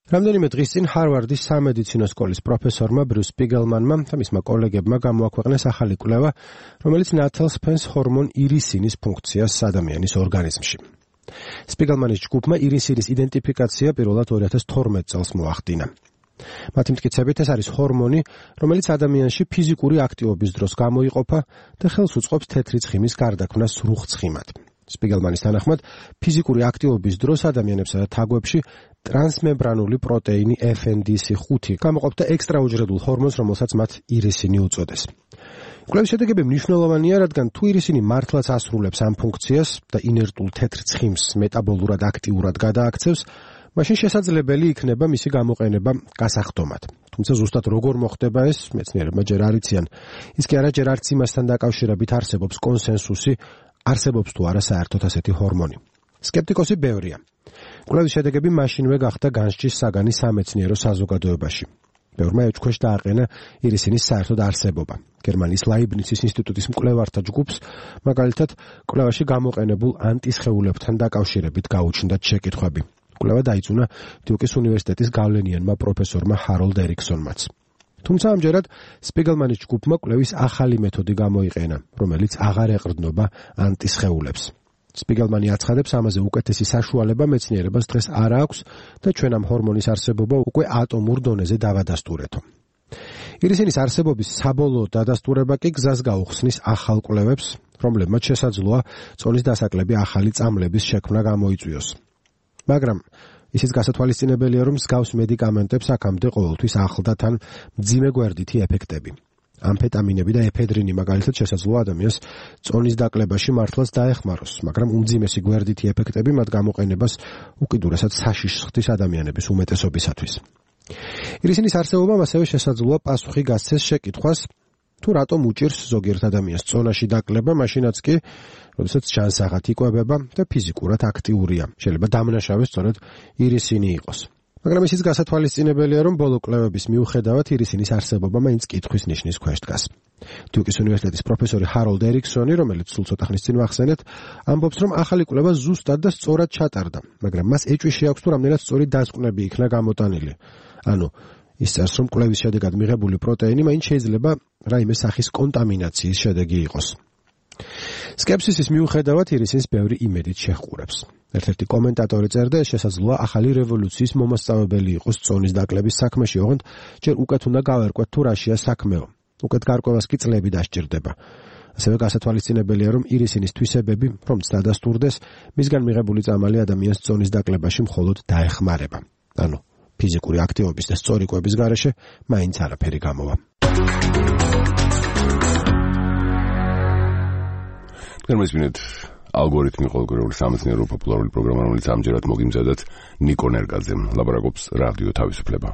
რამდენიმე დღის წინ ჰარვარდის სამედიცინო სკოლის პროფესორმა ბრიუს სპიგელმანმა და მისმა კოლეგებმა გამოაქვეყნეს ახალი კვლევა, რომელიც ნათელს ფენს ჰორმონ ირისინის ფუნქციას ადამიანის ორგანიზმში. სპიგელმანის ჯგუფმა ირისინის იდენტიფიკაცია პირველად 2012 წელს მოახდინა. მათი მტკიცებით ეს არის ჰორმონი, რომელიც ადამიანში ფიზიკური აქტივობის დროს გამოიყოფა და ხელს უწყობს თეთრი ცხიმის გარდაქმნას სრუხ ცხიმად. სპიგელმანის თანახმად, ფიზიკური აქტივობის დროს ადამიანებსა და თაგვებში ტრანსმემბრანული პროტეინი FNDC5 გამოყოფდა ექსტრაუჯრედულ ჰორმონს, რომელსაც მათ ირისინი უწოდეს. კვლევის შედეგები მნიშვნელოვანია, რადგან თუ ირისინი მართლაც ასრულებს ამ ფუნქციას და ინერტულ თეთრ ცხიმს მეტაბოლურად აქტიურად გადააქცევს, მაშინ შესაძლებელი იქნება მისი გამოყენება გასახდომად. თუმცა ზუსტად როგორ მოხდება ეს, მეცნიერებმა ჯერ არ იციან. ის კი არა ჯერ არც იმასთან დაკავშირებით არსებობს კონსენსუსი, არსებობს თუ არა საერთოდ ასეთი ჰორმონი. სკეპტიკოსი ბევრია. კვლევის შედეგები მაშინვე გახდა განსჯის საგანი სამეცნიერო საზოგადოებაში. ბევრმა ეჭქვეშ დააყენა ირისინის საერთოდ არსებობა. გერმანიის ლაიბნიცის ინსტიტუტის მკვლევართა ჯგუფს, მაგალითად, კვლევაში გამოყენებულ ანტისხეულებთან დაკავშირებით გაუჩნდათ შეკითხვები. კვლევა დაიწუნა დიუკის უნივერსიტეტის გავლენიანმა პროფესორმა ჰაროლდ ერიქსონმაც. თუმცა ამჯერად სპიგელმანის ჯგუფმა კვლევის ახალი მეთოდი გამოიყენა, რომელიც აღარ ეყრდნობა ანტისხეულებს. სპიგელმანი აცხადებს, ამაზე უკეთესი საშუალება მეცნიერებას დღეს არ აქვს და ჩვენ ამ ჰორმონის არსებობა უკვე ატომურ დონეზე დავადასტურეთო. ირისინის არსებობის საბოლოო დადასტურება კი გზას გაუხსნის ახალ კვლევებს, რომლებმაც შესაძლოა წონის დასაკლები ახალი წამლების შექმნა გამოიწვიოს. მაგრამ ისიც გასათვალისწინებელია, რომ მსგავს მედიკამენტებს აქამდე ყოველთვის ახლდა თან მძიმე გვერდითი ეფექტები. ამფეტამინები და ეფედრინი მაგალითად შესაძლოა ადამიანს წონის დაკლებაში მართლაც დაეხმაროს, მაგრამ უმძიმესი გვერდითი ეფექტები მათ გამოყენებას უკიდურესად საშიშს ხდის ადამიანების უმეტესობისათვის. ირისინის არსებობამ ასევე შესაძლოა პასუხი გასცეს შეკითხვას, თუ რატომ უჭირს ზოგიერთ ადამიანს წონაში დაკლება, მაშინაც კი, როდესაც ჯანსაღად იკვებება და ფიზიკურად აქტიურია. შეიძლება დამნაშავე სწორედ ირისინი იყოს. მაგრამ ისიც გასათვალისწინებელია, რომ ბოლო კვლევების მიუხედავად ირისინის არსებობა მაინც კითხვის ნიშნის ქვეშ დგას. დიუკის უნივერსიტეტის პროფესორი ჰაროლდერიქსონი, რომელიც სულ ცოტა ხნის წინ ვახსენეთ, ამბობს, რომ ახალი კვლევა ზუსტად და სწორად ჩატარდა, მაგრამ მას ეჭვი შეაქვს, თუ რამდენად სწორი დასკვნები იქნა გამოტანილი. ანუ ის წერს, რომ კვლევის შედეგად მიღებული პროტეინი მაინც შეიძლება რაიმე სახის კონტამინაციის შედეგი იყოს. სკეპსისის მიუხედავად ირისინს ბევრი იმედით შეჰყურებს. ერთ-ერთი კომენტატორი წერდა, ეს შესაძლოა ახალი რევოლუციის მომასწავლებელი იყოს წონის დაკლების საქმეში, ოღონდ ჯერ უკეთ უნდა გავერკვეთ თუ რაშია საქმეო. უკეთ გარკვევას კი წლები დასჭირდება. ასევე გასათვალისწინებელია, რომ ირისინის თვისებები, რომც დადასტურდეს, მისგან მიღებული წამალი ადამიანს წონის დაკლებაში მხოლოდ დაეხმარება. ანუ ფიზიკური აქტივობის და სწორი კვების გარეშე მაინც არაფერი გამოვა. გერმანიის ალგორითმი ყოველგვაროვანი სამეცნიერო პოპულარული პროგრამა, რომელიც ამჯერად მოგიმზადათ ნიკო ნერგაძემ, ლაპარაკობს რადიო თავისუფლება.